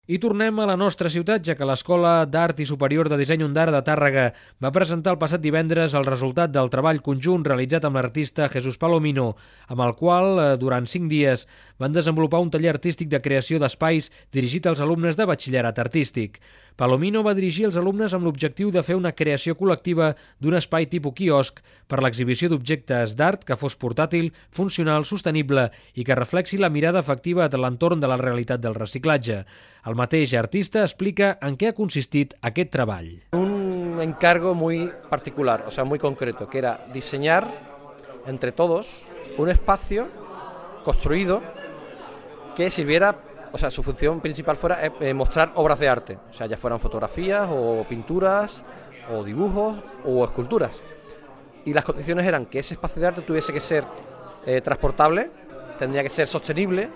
I tornem a la nostra ciutat, ja que l'Escola d'Art i Superior de Disseny Ondara de Tàrrega va presentar el passat divendres el resultat del treball conjunt realitzat amb l'artista Jesús Palomino, amb el qual, durant 5 dies, van desenvolupar un taller artístic de creació d'espais dirigit als alumnes de batxillerat artístic. Palomino va dirigir els alumnes amb l'objectiu de fer una creació col·lectiva d'un espai tipus quiosc per l'exhibició d'objectes d'art que fos portàtil, funcional, sostenible i que reflexi la mirada efectiva de l'entorn de la realitat del reciclatge. El mateix artista explica en què ha consistit aquest treball. Un encargo muy particular, o sea, muy concreto, que era diseñar entre todos un espacio construido que sirviera, o sea, su función principal fuera mostrar obras de arte, o sea, ya fueran fotografías o pinturas o dibujos o esculturas. Y las condiciones eran que ese espacio de arte tuviese que ser transportable, tendría que ser sostenible,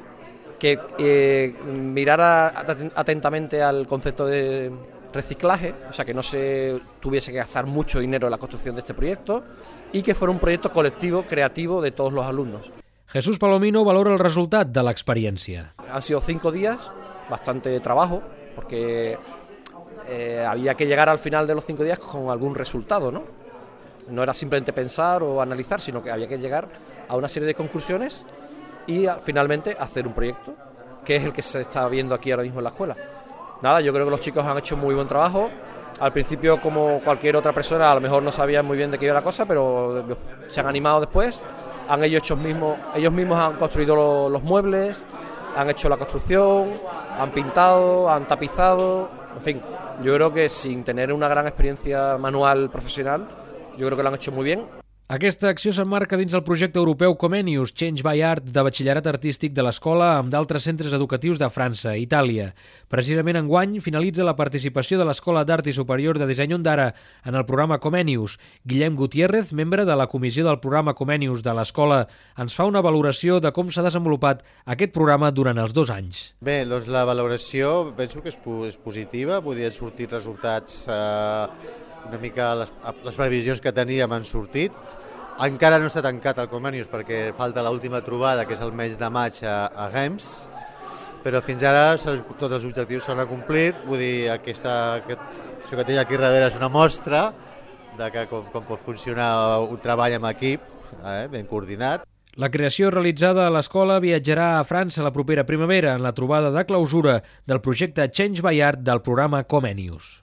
que mirara atentamente al concepto de reciclaje, o sea, que no se tuviese que gastar mucho dinero en la construcción de este proyecto y que fuera un proyecto colectivo, creativo de todos los alumnos. Jesús Palomino valora el resultat de l'experiència. Han sido 5 días, bastante trabajo, porque había que llegar al final de los 5 días con algún resultado, ¿no? No era simplemente pensar o analizar, sino que había que llegar a una serie de conclusiones y finalmente hacer un proyecto, que es el que se está viendo aquí ahora mismo en la escuela. Nada, yo creo que los chicos han hecho muy buen trabajo. Al principio, como cualquier otra persona, a lo mejor no sabían muy bien de qué iba la cosa, pero se han animado después. Ellos mismos han construido los muebles, han hecho la construcción, han pintado, han tapizado, en fin, yo creo que sin tener una gran experiencia manual profesional, yo creo que lo han hecho muy bien. Aquesta acció s'emmarca dins el projecte europeu Comenius, Change by Art, de batxillerat artístic de l'escola amb d'altres centres educatius de França i Itàlia. Precisament enguany finalitza la participació de l'Escola d'Art i Superior de Disseny Ondara en el programa Comenius. Guillem Gutiérrez, membre de la comissió del programa Comenius de l'escola, ens fa una valoració de com s'ha desenvolupat aquest programa durant els 2 anys. Bé, doncs la valoració penso que és positiva, podien sortir resultats una mica les previsions que teníem han sortit. Encara no està tancat el Comenius perquè falta l'última trobada, que és el mes de maig a Rems, però fins ara tots els objectius s'han acomplit. Vull dir, això que té aquí darrere és una mostra de com pot funcionar un treball en equip, ben coordinat. La creació realitzada a l'escola viatjarà a França la propera primavera en la trobada de clausura del projecte Change by Art del programa Comenius.